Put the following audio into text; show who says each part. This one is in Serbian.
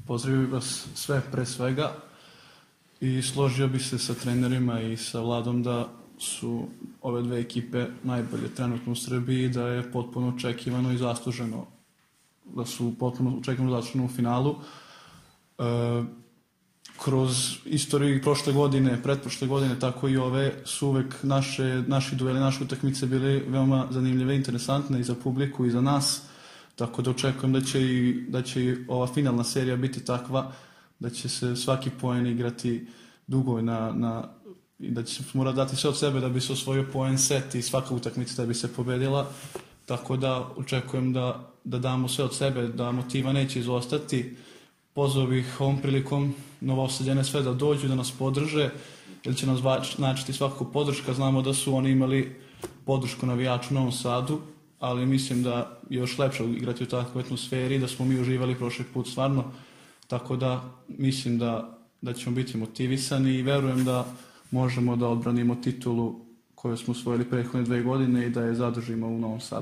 Speaker 1: Pozdravio bih vas sve pre svega i složio bih se sa trenerima i sa Vladom da su ove dve ekipe najbolje trenutno u Srbiji, da je potpuno očekivano i zasluženo, da su potpuno očekivano zasluženo u finalu. Kroz istoriju prošle godine, pretprošle godine, tako i ove, su uvek naši dueli, naše utakmice bili veoma zanimljive i interesantne i za publiku i za nas, tako da očekujem da će i ova finalna serija biti takva, da će se svaki poen igrati dugo i da će se morati dati sve od sebe da bi se osvojio poen set i svaka utakmica da bi se pobedila, tako da očekujem da damo sve od sebe, da motiva neće izostati. Pozvao bih ovom prilikom Novosađane sve da dođu, da nas podrže, jer će nas značiti svakako podrška. Znamo da su oni imali podršku navijača u Novom Sadu, ali mislim da je još lepše igrati u takvoj atmosferi, da smo mi uživali prošli put stvarno, tako da mislim da ćemo biti motivisani i verujem da možemo da odbranimo titulu koju smo osvojili prethodne 2 godine i da je zadržimo u Novom Sadu.